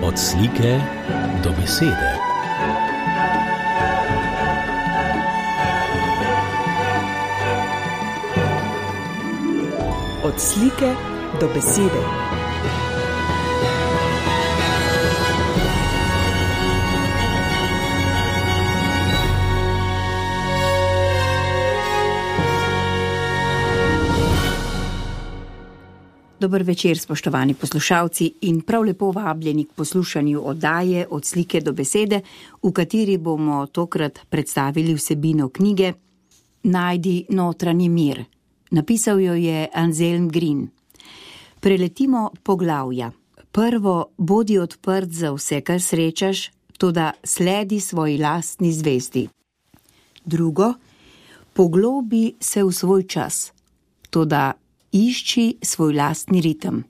Od slike do besede. Od slike do besede. Dober večer, spoštovani poslušalci, in prav lepo vabljeni k poslušanju oddaje Od slike do besede, v kateri bomo tokrat predstavili vsebino knjige Najdi notranji mir. Napisal jo je Anselm Green. Preletimo poglavja. Prvo, bodi odprt za vse, kar srečaš, toda sledi svoji lastni zvezdi. Drugo, poglobi se v svoj čas, toda išči svoj lastni ritem.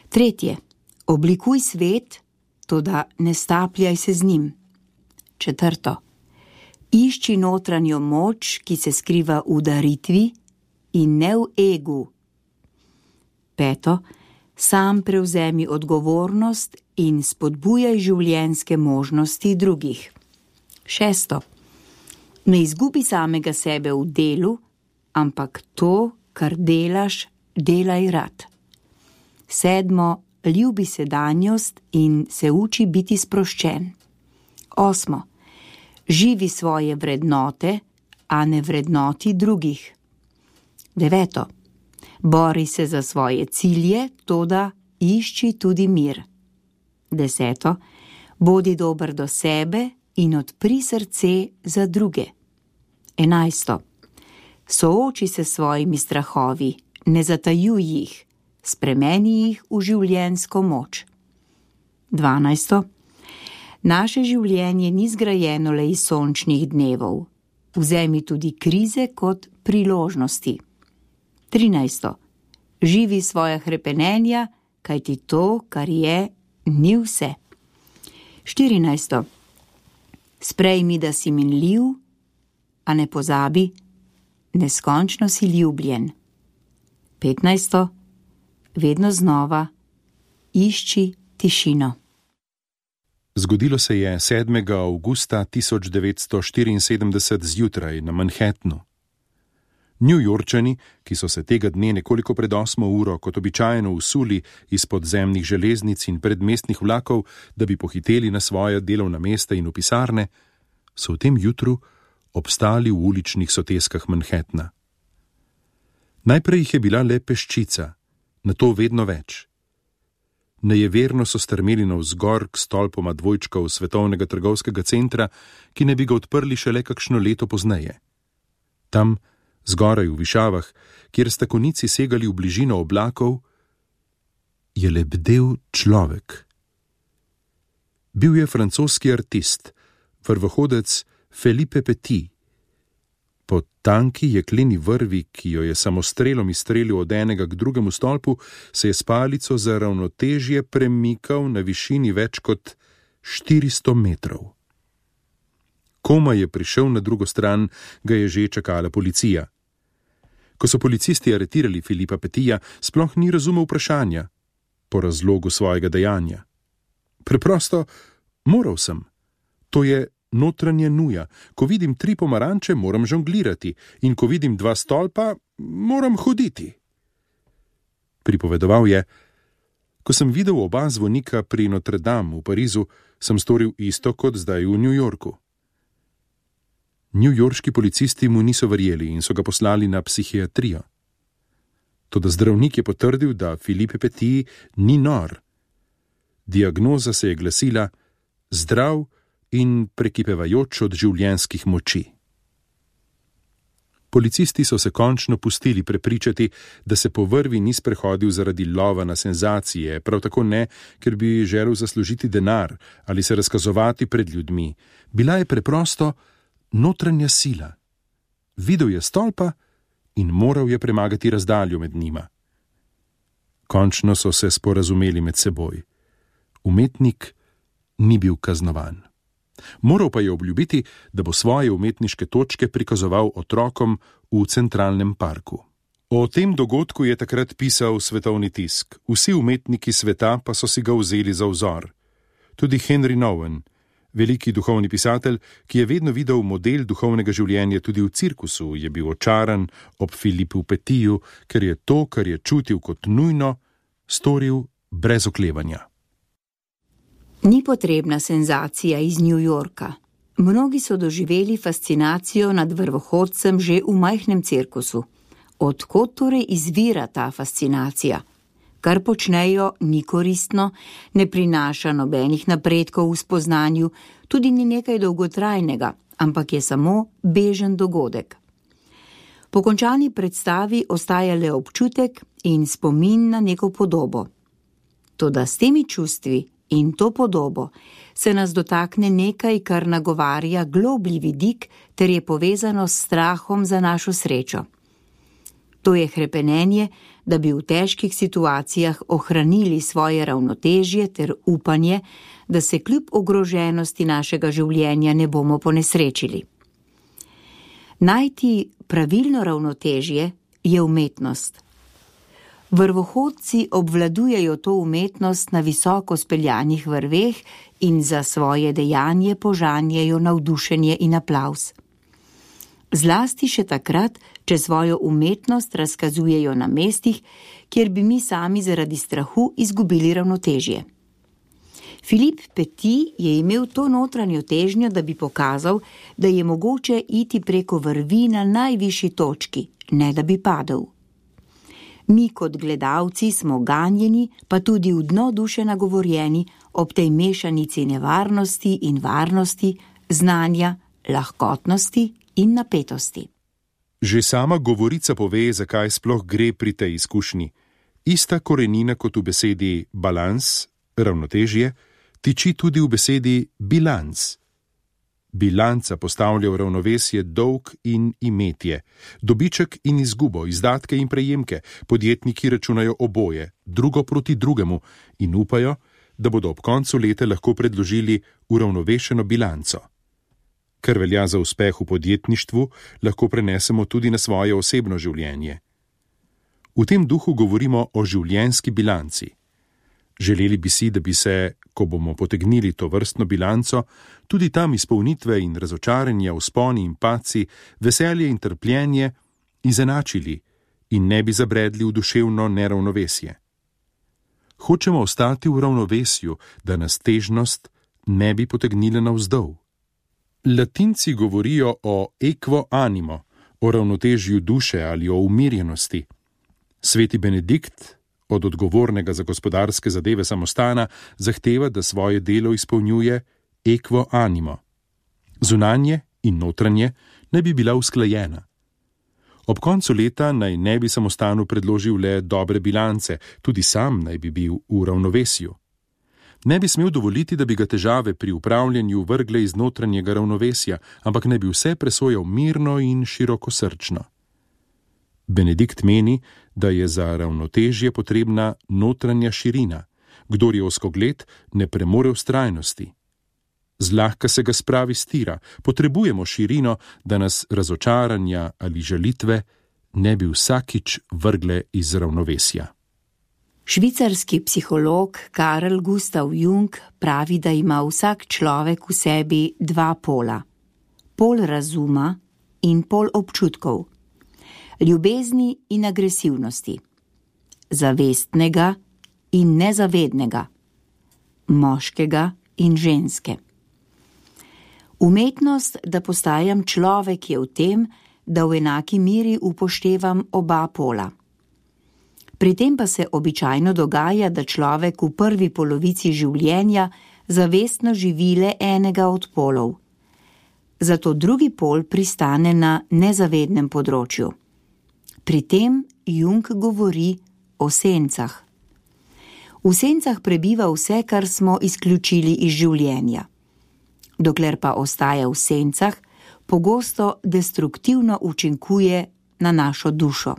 Tretje, oblikuj svet, toda ne stapljaj se z njim. Četrto, išči notranjo moč, ki se skriva v daritvi in ne v egu. Peto, sam prevzemi odgovornost in spodbujaj življenjske možnosti drugih. Šesto, ne izgubi samega sebe v delu, ampak to, kar delaš, delaj rad. Sedmo, ljubi sedanjost in se uči biti sproščen. Osmo, živi svoje vrednote, a ne vrednoti drugih. Deveto, bori se za svoje cilje, toda išči tudi mir. Deseto, bodi dober do sebe in odpri srce za druge. 11. Sooči se s svojimi strahovi, ne zatajuj jih, spremeni jih v življenjsko moč. 12. Naše življenje ni zgrajeno le iz sončnih dnevov. Vzemi tudi krize kot priložnosti. 13. Živi svoja hrepenenja, kajti to, kar je, ni vse. 14. Sprejmi, da si minljiv, a ne pozabi, neskončno si ljubljen. 15. Vedno znova išči tišino. Zgodilo se je 7. avgusta 1974 zjutraj na Manhattnu. Newyorčani, ki so se tega dne nekoliko pred 8. uro kot običajno usuli iz podzemnih železnic in predmestnih vlakov, da bi pohiteli na svoja delovna mesta in v pisarne, so v tem jutru obstali v uličnih soteskah Manhattna. Najprej jih je bila le peščica, nato vedno več. Nejeverno so strmeli navzgor k stolpoma dvojčkov Svetovnega trgovskega centra, ki ne bi ga odprli šele kakšno leto pozneje. Tam, zgoraj v višavah, kjer sta konici segali v bližino oblakov, je lebdel človek. Bil je francoski artist, vrvohodec Philippe Petit. Po tanki jekleni vrvi, ki jo je samostrelom izstrelil od enega k drugemu stolpu, se je s palico za ravnotežje premikal na višini več kot 400 metrov. Komaj je prišel na drugo stran, ga je že čakala policija. Ko so policisti aretirali Philippa Petija, sploh ni razumel vprašanja po razlogu svojega dejanja. Preprosto, moral sem. To je notranja nuja. Ko vidim 3 pomaranče, moram žonglirati, in ko vidim 2 stolpa, moram hoditi. Pripovedoval je: ko sem videl oba zvonika pri Notre Dame v Parizu, sem storil isto kot zdaj v New Yorku. Newyorški policisti mu niso verjeli in so ga poslali na psihiatrijo. Toda zdravnik je potrdil, da Philippe Petit ni nor. Diagnoza se je glasila: zdrav in prekipevajoč od življenjskih moči. Policisti so se končno pustili prepričati, da se po vrvi ni sprehodil zaradi lova na senzacije, prav tako ne, ker bi želel zaslužiti denar ali se razkazovati pred ljudmi. Bila je preprosto notranja sila. Videl je stolpa in moral je premagati razdaljo med njima. Končno so se sporazumeli med seboj. Umetnik ni bil kaznovan. Moral pa je obljubiti, da bo svoje umetniške točke prikazoval otrokom v Centralnem parku. O tem dogodku je takrat pisal svetovni tisk. Vsi umetniki sveta pa so si ga vzeli za vzor. Tudi Henry Nouwen, veliki duhovni pisatelj, ki je vedno videl model duhovnega življenja tudi v cirkusu, je bil očaran ob Philippu Pettiju, ker je to, kar je čutil kot nujno, storil brez oklevanja. Ni potrebna senzacija iz New Yorka. Mnogi so doživeli fascinacijo nad vrvohodcem že v majhnem cirkusu. Od kod torej izvira ta fascinacija? Kar počnejo, ni koristno, ne prinaša nobenih napredkov v spoznanju, tudi ni nekaj dolgotrajnega, ampak je samo bežen dogodek. Po končani predstavi ostaja le občutek in spomin na neko podobo. Toda s temi čustvi in to podobo se nas dotakne nekaj, kar nagovarja globlji vidik ter je povezano s strahom za našo srečo. To je hrepenenje, da bi v težkih situacijah ohranili svoje ravnotežje ter upanje, da se kljub ogroženosti našega življenja ne bomo ponesrečili. Najti pravilno ravnotežje je umetnost. Vrvohodci obvladujejo to umetnost na visoko speljanih vrveh in za svoje dejanje požanjejo navdušenje in aplavz. Zlasti še takrat, če svojo umetnost razkazujejo na mestih, kjer bi mi sami zaradi strahu izgubili ravnotežje. Philippe Petit je imel to notranjo težnjo, da bi pokazal, da je mogoče iti preko vrvi na najvišji točki, ne da bi padel. Mi kot gledalci smo ganjeni, pa tudi v dno duše nagovorjeni ob tej mešanici nevarnosti in varnosti, znanja, lahkotnosti in napetosti. Že sama govorica pove, zakaj sploh gre pri tej izkušnji. Ista korenina kot v besedi balans, ravnotežje, tiči tudi v besedi bilans. Bilanca postavlja v ravnovesje dolg in imetje, dobiček in izgubo, izdatke in prejemke. Podjetniki računajo oboje, drugo proti drugemu in upajo, da bodo ob koncu leta lahko predložili uravnovešeno bilanco. Kar velja za uspeh v podjetništvu, lahko prenesemo tudi na svoje osebno življenje. V tem duhu govorimo o življenjski bilanci. Želeli bi si, da bi se, ko bomo potegnili to vrstno bilanco, tudi tam izpolnitve in razočaranja, vzponi in padci, veselje in trpljenje izenačili in ne bi zabredli v duševno neravnovesje. Hočemo ostati v ravnovesju, da nas težnost ne bi potegnila navzdol. Latinci govorijo o equo animo, o ravnotežju duše ali o umirjenosti. Sveti Benedikt od odgovornega za gospodarske zadeve samostana zahteva, da svoje delo izpolnjuje equo animo. Zunanje in notranje naj bi bila usklajena. Ob koncu leta naj ne bi samostanu predložil le dobre bilance, tudi sam naj bi bil v ravnovesju. Ne bi smel dovoliti, da bi ga težave pri upravljanju vrgle iz notranjega ravnovesja, ampak naj bi vse presojal mirno in širokosrčno. Benedikt meni, da je za ravnotežje potrebna notranja širina. Kdor je ozkogled, ne premore vztrajnosti. Zlahka se ga spravi s tira, potrebujemo širino, da nas razočaranja ali žalitve ne bi vsakič vrgle iz ravnovesja. Švicarski psiholog Carl Gustav Jung pravi, da ima vsak človek v sebi dva pola. Pol razuma in pol občutkov. Ljubezni in agresivnosti. Zavestnega in nezavednega. Moškega in ženske. Umetnost, da postajam človek, je v tem, da v enaki meri upoštevam oba pola. Pri tem pa se običajno dogaja, da človek v prvi polovici življenja zavestno živi le enega od polov. Zato drugi pol pristane na nezavednem področju. Pri tem Jung govori o sencah. V sencah prebiva vse, kar smo izključili iz življenja. Dokler pa ostaja v sencah, pogosto destruktivno učinkuje na našo dušo.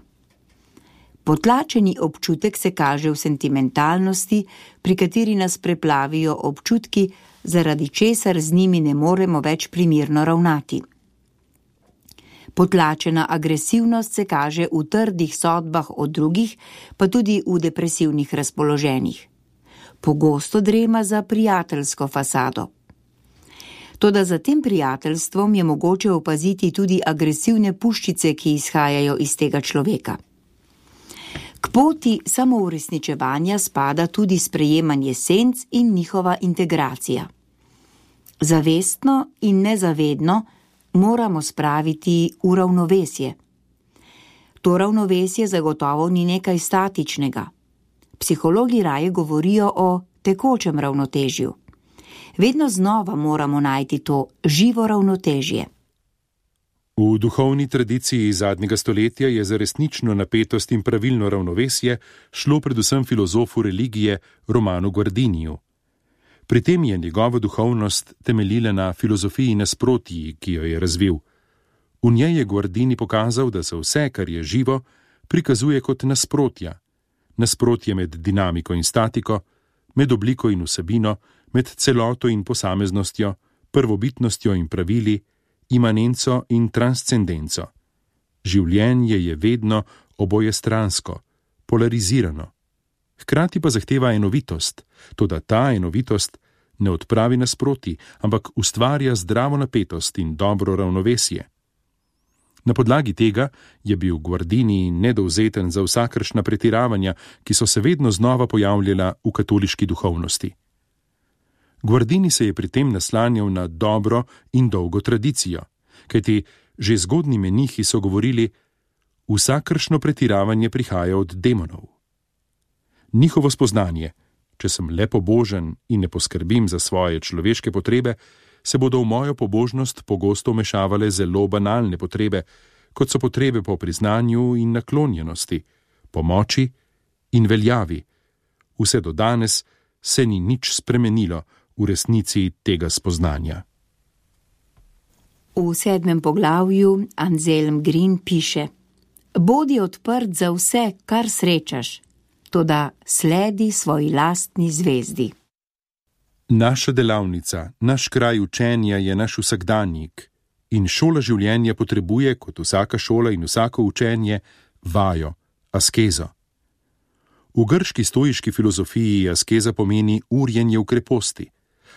Potlačeni občutek se kaže v sentimentalnosti, pri kateri nas preplavijo občutki, zaradi česar z njimi ne moremo več primirno ravnati. Potlačena agresivnost se kaže v trdih sodbah o drugih, pa tudi v depresivnih razpoloženjih. pogosto drema za prijateljsko fasado. Toda za tem prijateljstvom je mogoče opaziti tudi agresivne puščice, ki izhajajo iz tega človeka. K poti samouresničevanja spada tudi sprejemanje senc in njihova integracija. Zavestno in nezavedno moramo spraviti v ravnovesje. To ravnovesje zagotovo ni nekaj statičnega. Psihologi raje govorijo o tekočem ravnotežju. Vedno znova moramo najti to živo ravnotežje. V duhovni tradiciji zadnjega stoletja je za resnično napetost in pravilno ravnovesje šlo predvsem filozofu religije Romanu Guardiniju. Pri tem je njegova duhovnost temeljila na filozofiji nasprotji, ki jo je razvil. V njej je Guardini pokazal, da se vse, kar je živo, prikazuje kot nasprotja. Nasprotje med dinamiko in statiko, med obliko in vsebino, med celoto in posameznostjo, prvobitnostjo in pravili, imanenco in transcendenco. Življenje je vedno obojestransko, polarizirano. Hkrati pa zahteva enovitost, toda ta enovitost ne odpravi nasproti, ampak ustvarja zdravo napetost in dobro ravnovesje. Na podlagi tega je bil Guardini nedovzeten za vsakršna pretiravanja, ki so se vedno znova pojavljala v katoliški duhovnosti. Guardini se je pri tem naslanjal na dobro in dolgo tradicijo, kajti že zgodnji menihi so govorili, vsakršno pretiravanje prihaja od demonov. Njihovo spoznanje, če sem le pobožen in ne poskrbim za svoje človeške potrebe, se bodo v mojo pobožnost pogosto vmešavale zelo banalne potrebe, kot so potrebe po priznanju in naklonjenosti, pomoči in veljavi. Vse do danes se ni nič spremenilo v resnici tega spoznanja. V 7. poglavju Anselm Green piše: Bodi odprt za vse, kar srečaš, toda sledi svoji lastni zvezdi. Naša delavnica, naš kraj učenja je naš vsakdanjik in šola življenja potrebuje, kot vsaka šola in vsako učenje, vajo, askezo. V grški stoiški filozofiji askeza pomeni urjenje v kreposti.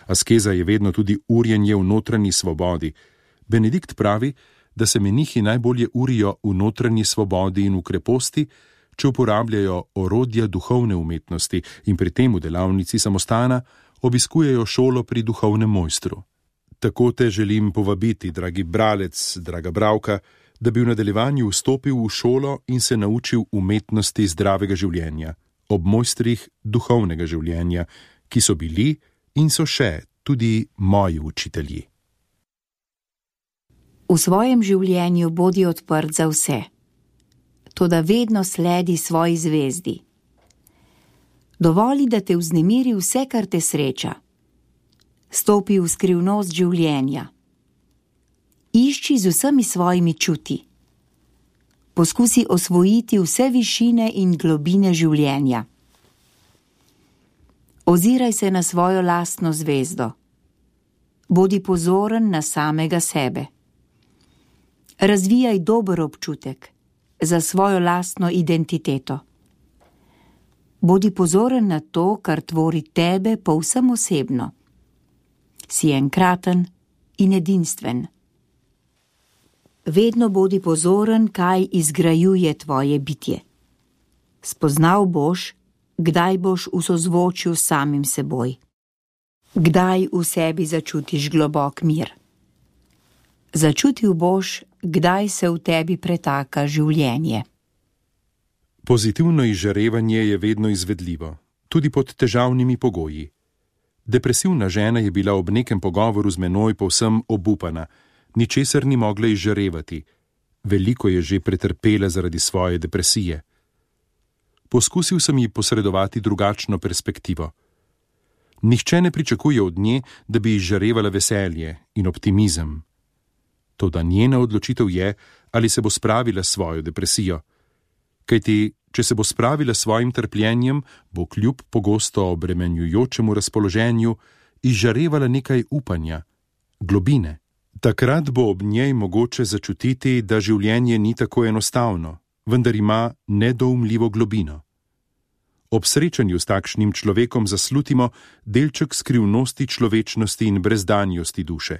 Askeza je vedno tudi urjenje v notranji svobodi. Benedikt pravi, da se menihi najbolje urijo v notranji svobodi in v kreposti, če uporabljajo orodja duhovne umetnosti in pri tem v delavnici samostana obiskujejo šolo pri duhovnem mojstru. Tako te želim povabiti, dragi bralec, draga bralka, da bi v nadaljevanju vstopil v šolo in se naučil umetnosti zdravega življenja, ob mojstrih duhovnega življenja, ki so bili in so še tudi moji učitelji. V svojem življenju bodi odprt za vse, toda vedno sledi svoji zvezdi. Dovoli, da te vznemiri vse, kar te sreča. Stopi v skrivnost življenja. Išči z vsemi svojimi čuti. Poskusi osvojiti vse višine in globine življenja. Oziraj se na svojo lastno zvezdo. Bodi pozoren na samega sebe. Razvijaj dober občutek za svojo lastno identiteto. Bodi pozoren na to, kar tvori tebe povsem osebno. Si enkraten in edinstven. Vedno bodi pozoren, kaj izgrajuje tvoje bitje. Spoznal boš, kdaj boš v sozvočju s samim seboj. Kdaj v sebi začutiš globok mir. Začutil boš, kdaj se v tebi pretaka življenje. Pozitivno izžarevanje je vedno izvedljivo, tudi pod težavnimi pogoji. Depresivna žena je bila ob nekem pogovoru z menoj povsem obupana, ničesar ni mogla izžarevati. Veliko je že pretrpela zaradi svoje depresije. Poskusil sem ji posredovati drugačno perspektivo. Nihče ne pričakuje od nje, da bi izžarevala veselje in optimizem. Toda njena odločitev je, ali se bo spravila s svojo depresijo. Kajti, če se bo spravila s svojim trpljenjem, bo kljub pogosto obremenjujočemu razpoloženju izžarevala nekaj upanja, globine. Takrat bo ob njej mogoče začutiti, da življenje ni tako enostavno, vendar ima nedoumljivo globino. Ob srečanju s takšnim človekom zaslutimo delček skrivnosti človečnosti in brezdanjosti duše.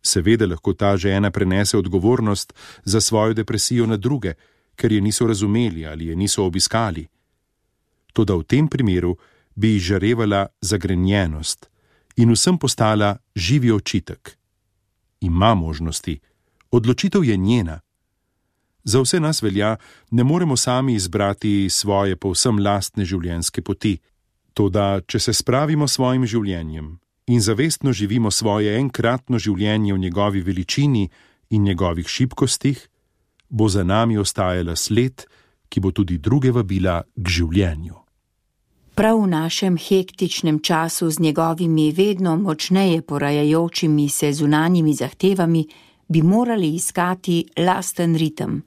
Seveda lahko ta žena prenese odgovornost za svojo depresijo na druge, ker je niso razumeli ali je niso obiskali. Toda v tem primeru bi izžarevala zagrenjenost in vsem postala živi očitek. Ima možnosti, odločitev je njena. Za vse nas velja, ne moremo sami izbrati svoje povsem lastne življenjske poti. Toda, če se spravimo s svojim življenjem in zavestno živimo svoje enkratno življenje v njegovi veličini in njegovih šibkostih, bo za nami ostajala sled, ki bo tudi druge vabila k življenju. Prav v našem hektičnem času z njegovimi vedno močneje porajajočimi se zunanjimi zahtevami bi morali iskati lasten ritem.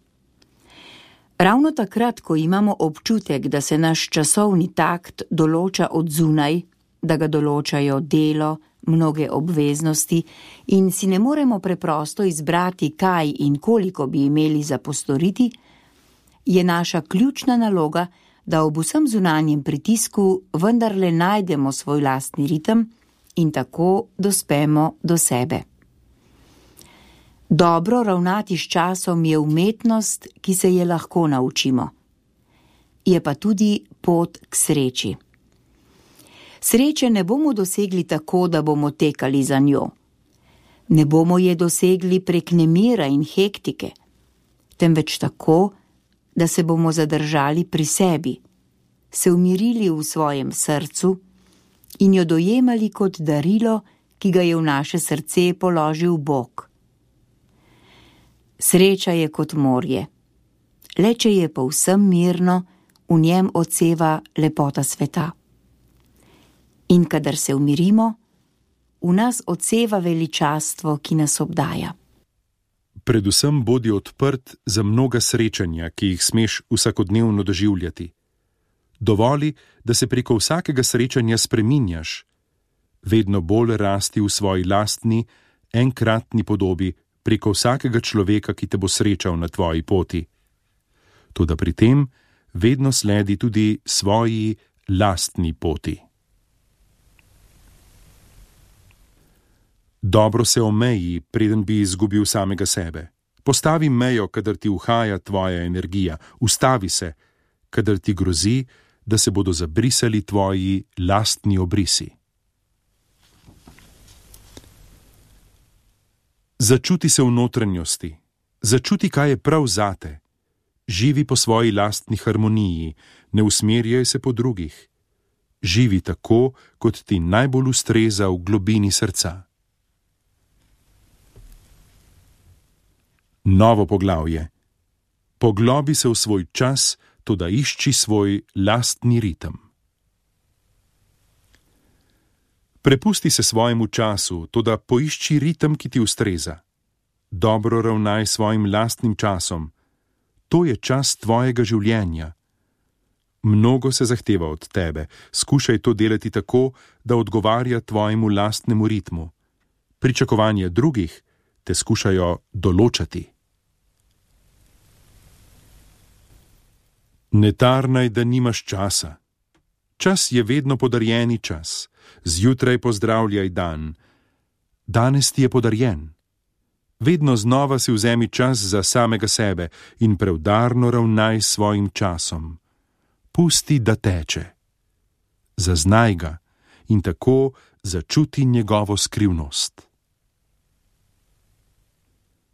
Ravno takrat, ko imamo občutek, da se naš časovni takt določa od zunaj, da ga določajo delo, mnoge obveznosti in si ne moremo preprosto izbrati, kaj in koliko bi imeli za postoriti, je naša ključna naloga, da ob vsem zunanjem pritisku vendarle najdemo svoj lastni ritem in tako dospemo do sebe. Dobro ravnati s časom je umetnost, ki se je lahko naučimo. Je pa tudi pot k sreči. Sreče ne bomo dosegli tako, da bomo tekali za njo. Ne bomo je dosegli prek nemira in hektike, temveč tako, da se bomo zadržali pri sebi, se umirili v svojem srcu in jo dojemali kot darilo, ki ga je v naše srce položil Bog. Sreča je kot morje. Le če je povsem mirno, v njem odseva lepota sveta. In kadar se umirimo, v nas odseva veličastvo, ki nas obdaja. Predvsem bodi odprt za mnoga srečanja, ki jih smeš vsakodnevno doživljati. Dovoli, da se preko vsakega srečanja spreminjaš, vedno bolj rasti v svoji lastni, enkratni podobi preko vsakega človeka, ki te bo srečal na tvoji poti. Toda pri tem vedno sledi tudi svoji lastni poti. Dobro se omeji, preden bi izgubil samega sebe. Postavi mejo, kadar ti uhaja tvoja energija. Ustavi se, kadar ti grozi, da se bodo zabrisali tvoji lastni obrisi. Začuti se v notranjosti. Začuti, kaj je prav zate. Živi po svoji lastni harmoniji, ne usmerjaj se po drugih. Živi tako, kot ti najbolj ustreza v globini srca. Novo poglavje. Poglobi se v svoj čas, toda išči svoj lastni ritem. Prepusti se svojemu času, toda poišči ritem, ki ti ustreza. Dobro ravnaj svojim lastnim časom. To je čas tvojega življenja. Mnogo se zahteva od tebe. Skušaj to delati tako, da odgovarja tvojemu lastnemu ritmu. Pričakovanja drugih te skušajo določati. Ne tarnaj, da nimaš časa. Čas je vedno podarjeni čas. Zjutraj pozdravljaj dan. Danes ti je podarjen. Vedno znova si vzemi čas za samega sebe in preudarno ravnaj s svojim časom. Pusti, da teče. Zaznaj ga in tako začuti njegovo skrivnost.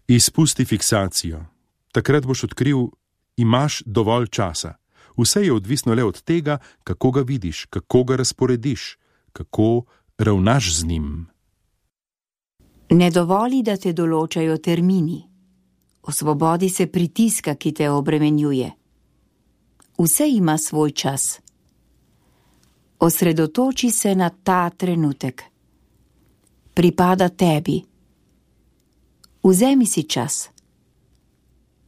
Izpusti fiksacijo. Takrat boš odkril, imaš dovolj časa. Vse je odvisno le od tega, kako ga vidiš, kako ga razporediš, kako ravnaš z njim. Ne dovoli, da te določajo termini. Osvobodi se pritiska, ki te obremenjuje. Vse ima svoj čas. Osredotoči se na ta trenutek. Pripada tebi. Vzemi si čas.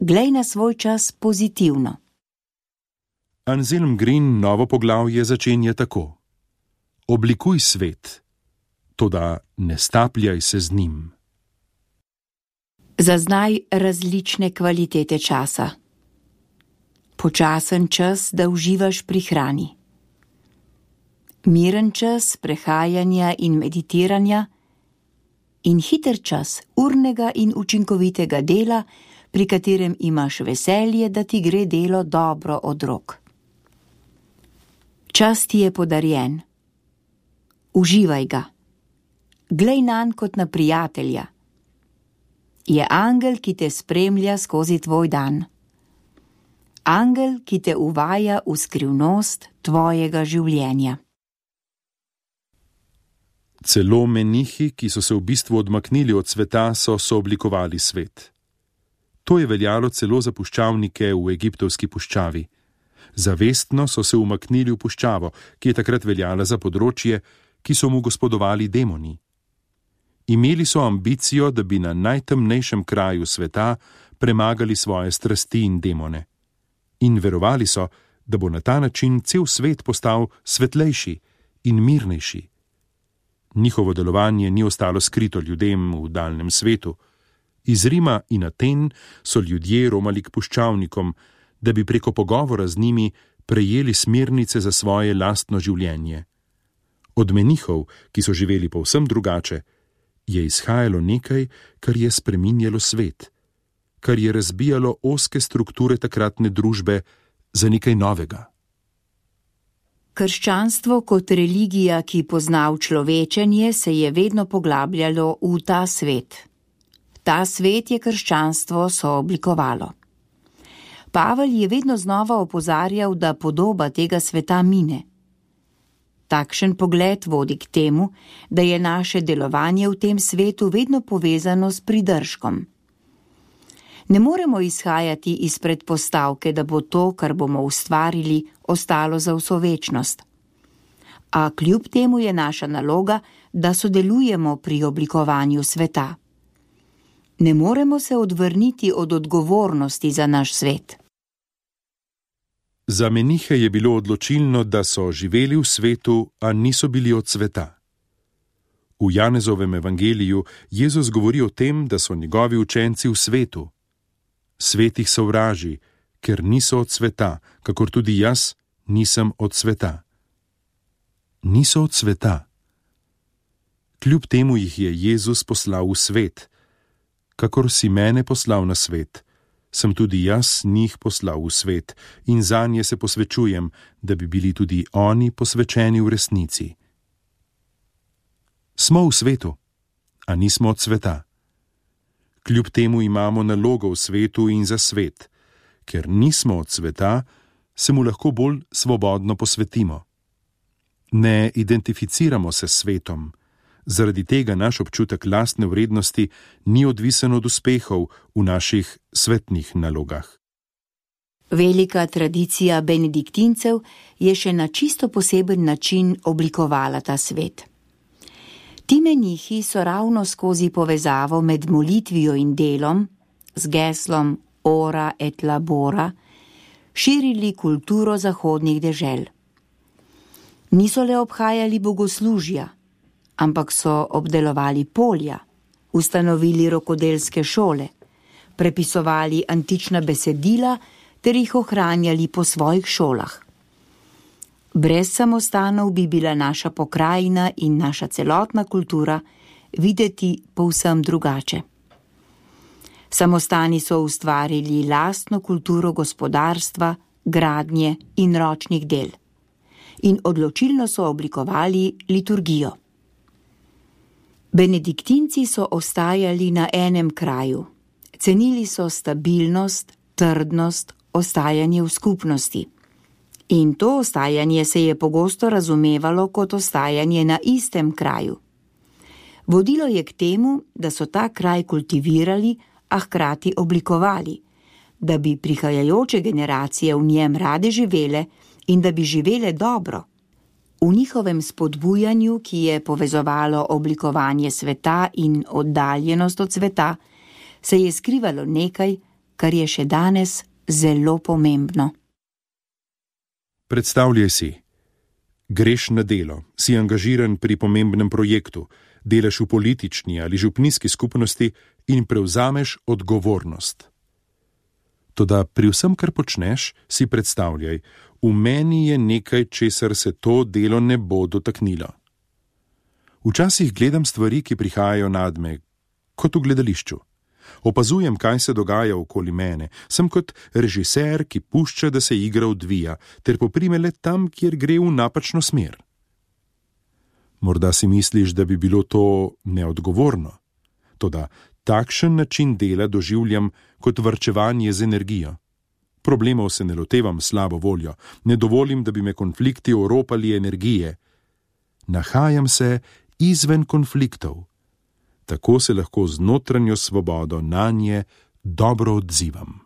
Glej na svoj čas pozitivno. Anselm Green novo poglavje začenja tako. Oblikuj svet, toda ne stapljaj se z njim. Zaznaj različne kvalitete časa. Počasen čas, da uživaš pri hrani. Miren čas prehajanja in meditiranja in hiter čas urnega in učinkovitega dela, pri katerem imaš veselje, da ti gre delo dobro od rok. Čas ti je podarjen. Uživaj ga. Glej nanj kot na prijatelja. Je angel, ki te spremlja skozi tvoj dan. Angel, ki te uvaja v skrivnost tvojega življenja. Celo menihi, ki so se v bistvu odmaknili od sveta, so sooblikovali svet. To je veljalo celo za puščavnike v egiptovski puščavi. Zavestno so se umaknili v puščavo, ki je takrat veljala za področje, ki so mu gospodovali demoni. Imeli so ambicijo, da bi na najtemnejšem kraju sveta premagali svoje strasti in demone. In verovali so, da bo na ta način cel svet postal svetlejši in mirnejši. Njihovo delovanje ni ostalo skrito ljudem v daljnem svetu. Iz Rima in Aten so ljudje romali k puščavnikom, da bi preko pogovora z njimi prejeli smernice za svoje lastno življenje. Od menihov, ki so živeli povsem drugače, je izhajalo nekaj, kar je spreminjalo svet, kar je razbijalo ozke strukture takratne družbe za nekaj novega. Krščanstvo kot religija, ki pozna človečenje, se je vedno poglabljalo v ta svet. Ta svet je krščanstvo sooblikovalo. Pavel je vedno znova opozarjal, da podoba tega sveta mine. Takšen pogled vodi k temu, da je naše delovanje v tem svetu vedno povezano s pridržkom. Ne moremo izhajati iz predpostavke, da bo to, kar bomo ustvarili, ostalo za vso večnost. A kljub temu je naša naloga, da sodelujemo pri oblikovanju sveta. Ne moremo se odvrniti od odgovornosti za naš svet. Za menihe je bilo odločilno, da so živeli v svetu, a niso bili od sveta. V Janezovem evangeliju Jezus govori o tem, da so njegovi učenci v svetu. Svet jih sovraži, ker niso od sveta, kakor tudi jaz nisem od sveta. Niso od sveta. Kljub temu jih je Jezus poslal v svet. Kakor si mene poslal na svet, sem tudi jaz njih poslal v svet in zanje se posvečujem, da bi bili tudi oni posvečeni v resnici. Smo v svetu, a nismo od sveta. Kljub temu imamo nalogo v svetu in za svet. Ker nismo od sveta, se mu lahko bolj svobodno posvetimo. Ne identificiramo se s svetom. Zaradi tega naš občutek lastne vrednosti ni odvisen od uspehov v naših svetnih nalogah. Velika tradicija benediktincev je še na čisto poseben način oblikovala ta svet. Ti menihi so ravno skozi povezavo med molitvijo in delom, z geslom Ora et labora, širili kulturo zahodnih dežel. Niso le obhajali bogoslužja, ampak so obdelovali polja, ustanovili rokodelske šole, prepisovali antična besedila ter jih ohranjali po svojih šolah. Brez samostanov bi bila naša pokrajina in naša celotna kultura videti povsem drugače. Samostani so ustvarili lastno kulturo gospodarstva, gradnje in ročnih del in odločilno so oblikovali liturgijo. Benediktinci so ostajali na enem kraju, cenili so stabilnost, trdnost, ostajanje v skupnosti. In to ostajanje se je pogosto razumevalo kot ostajanje na istem kraju. Vodilo je k temu, da so ta kraj kultivirali, a hkrati oblikovali, da bi prihajajoče generacije v njem rade živele in da bi živele dobro. V njihovem spodbujanju, ki je povezovalo oblikovanje sveta in oddaljenost od sveta, se je skrivalo nekaj, kar je še danes zelo pomembno. Predstavljaj si, greš na delo, si angažiran pri pomembnem projektu, delaš v politični ali župnijski skupnosti in prevzameš odgovornost. Toda pri vsem, kar počneš, si predstavljaj, v meni je nekaj, česar se to delo ne bo dotaknilo. Včasih gledam stvari, ki prihajajo nadme, kot v gledališču. Opazujem, kaj se dogaja okoli mene. Sem kot režiser, ki pušča, da se igra odvija, ter poprime le tam, kjer gre v napačno smer. Morda si misliš, da bi bilo to neodgovorno. Toda takšen način dela doživljam kot varčevanje z energijo. Problemov se ne lotevam slabo voljo, ne dovolim, da bi me konflikti oropali energije. Nahajam se izven konfliktov. Tako se lahko z notranjo svobodo nanje dobro odzivam.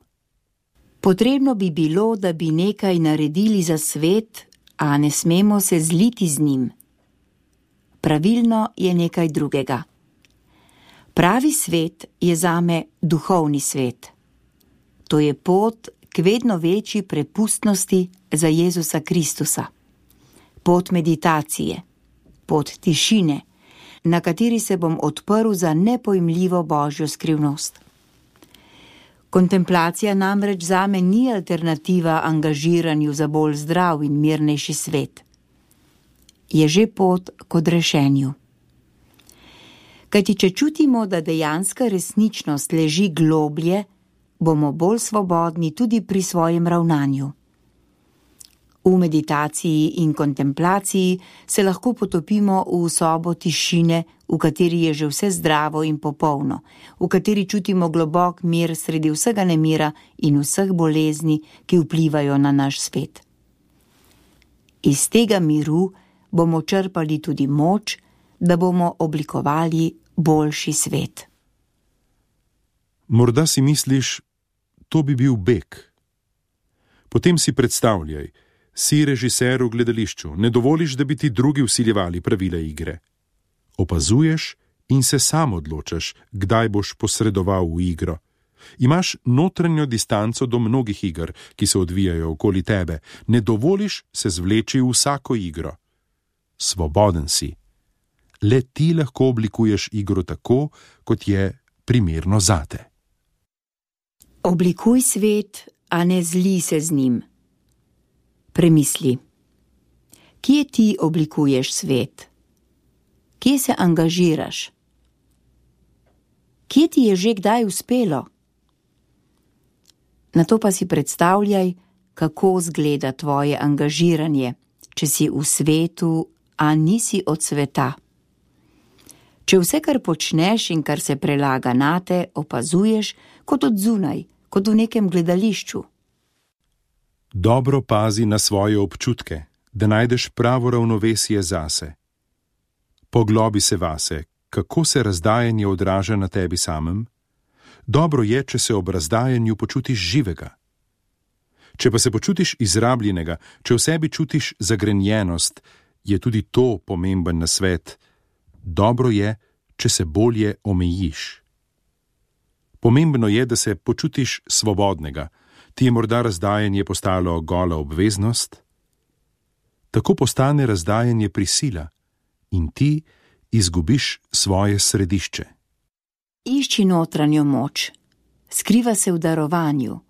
Potrebno bi bilo, da bi nekaj naredili za svet, a ne smemo se zliti z njim. Pravilno je nekaj drugega. Pravi svet je zame duhovni svet. To je pot k vedno večji prepustnosti za Jezusa Kristusa. Pot meditacije, pot tišine, na kateri se bom odprl za nepojmljivo Božjo skrivnost. Kontemplacija namreč zame ni alternativa angažiranju za bolj zdrav in mirnejši svet. Je že pot k odrešenju. Kajti če čutimo, da dejanska resničnost leži globlje, bomo bolj svobodni tudi pri svojem ravnanju. V meditaciji in kontemplaciji se lahko potopimo v sobo tišine, v kateri je že vse zdravo in popolno, v kateri čutimo globok mir sredi vsega nemira in vseh bolezni, ki vplivajo na naš svet. Iz tega miru bomo črpali tudi moč, da bomo oblikovali boljši svet. Morda si misliš, to bi bil beg. Potem si predstavljaj, si režiser v gledališču, ne dovoliš, da bi ti drugi vsiljevali pravila igre. Opazuješ in se sam odločaš, kdaj boš posredoval v igro. Imaš notranjo distanco do mnogih iger, ki se odvijajo okoli tebe. Ne dovoliš se zvleči v vsako igro. Svoboden si. Le ti lahko oblikuješ igro tako, kot je primerno zate. Oblikuj svet, a ne zli se z njim. Premisli. Kje ti oblikuješ svet? Kje se angažiraš? Kje ti je že kdaj uspelo? Nato pa si predstavljaj, kako zgleda tvoje angažiranje, če si v svetu, a nisi od sveta. Če vse, kar počneš in kar se prelaga nate, opazuješ kot od zunaj, kot v nekem gledališču. Dobro pazi na svoje občutke, da najdeš pravo ravnovesje zase. Poglobi se vase, kako se razdajanje odraža na tebi samem. Dobro je, če se ob razdajanju počutiš živega. Če pa se počutiš izrabljenega, če v sebi čutiš zagrenjenost, je tudi to pomemben nasvet. Dobro je, če se bolje omejiš. Pomembno je, da se počutiš svobodnega. Ti je morda razdajanje postalo gola obveznost? Tako postane razdajanje prisila in ti izgubiš svoje središče. Išči notranjo moč, skriva se v darovanju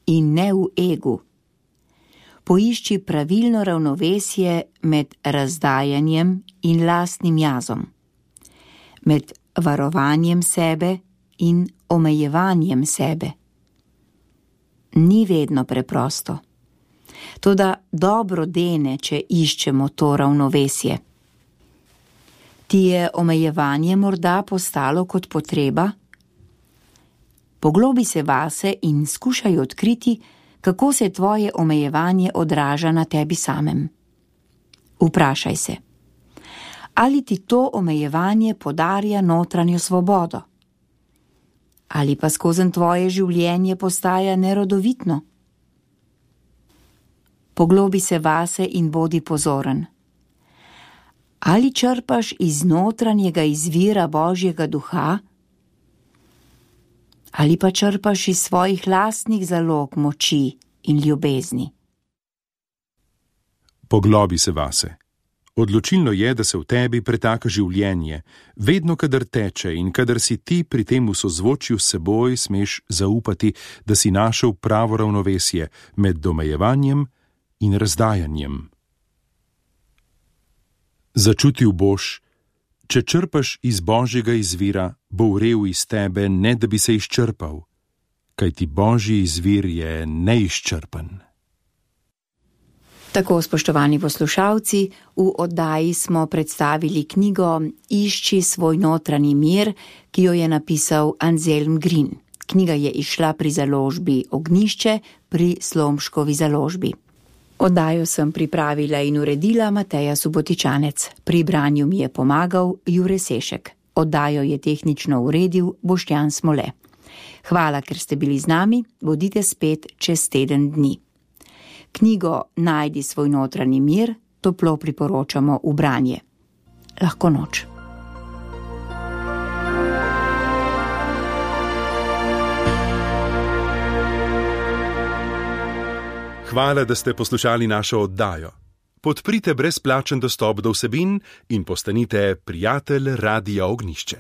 in ne v egu. Poišči pravilno ravnovesje med razdajanjem in lastnim jazom, med varovanjem sebe in omejevanjem sebe. Ni vedno preprosto. Toda dobro dene, če iščemo to ravnovesje. Ti je omejevanje morda postalo kot potreba? Poglobi se vase in skušaj odkriti, kako se tvoje omejevanje odraža na tebi samem. Vprašaj se, ali ti to omejevanje podarja notranjo svobodo? Ali pa skozi tvoje življenje postaja nerodovitno? Poglobi se vase in bodi pozoren. Ali črpaš iz notranjega izvira Božjega duha? Ali pa črpaš iz svojih lastnih zalog moči in ljubezni? Poglobi se vase. Odločilno je, da se v tebi pretaka življenje. Vedno, kadar teče in kadar si ti pri tem v sozvočju s seboj, smeš zaupati, da si našel pravo ravnovesje med domejevanjem in razdajanjem. Začutil boš, če črpaš iz Božjega izvira, bo vrel iz tebe, ne da bi se izčrpal, kajti Božji izvir je neizčrpen. Tako, spoštovani poslušalci, v oddaji smo predstavili knjigo Išči svoj notranji mir, ki jo je napisal Anselm Green. Knjiga je izšla pri založbi Ognjišče pri Slomškovi založbi. Oddajo sem pripravila in uredila Mateja Subotičanec. Pri branju mi je pomagal Jure Sešek. Oddajo je tehnično uredil Boštjan Smole. Hvala, ker ste bili z nami, bodite spet čez teden dni. Knjigo Najdi svoj notranji mir toplo priporočamo v branje. Lahko noč. Hvala, da ste poslušali našo oddajo. Podprite brezplačen dostop do vsebin in postanite prijatelj Radia Ognjišče.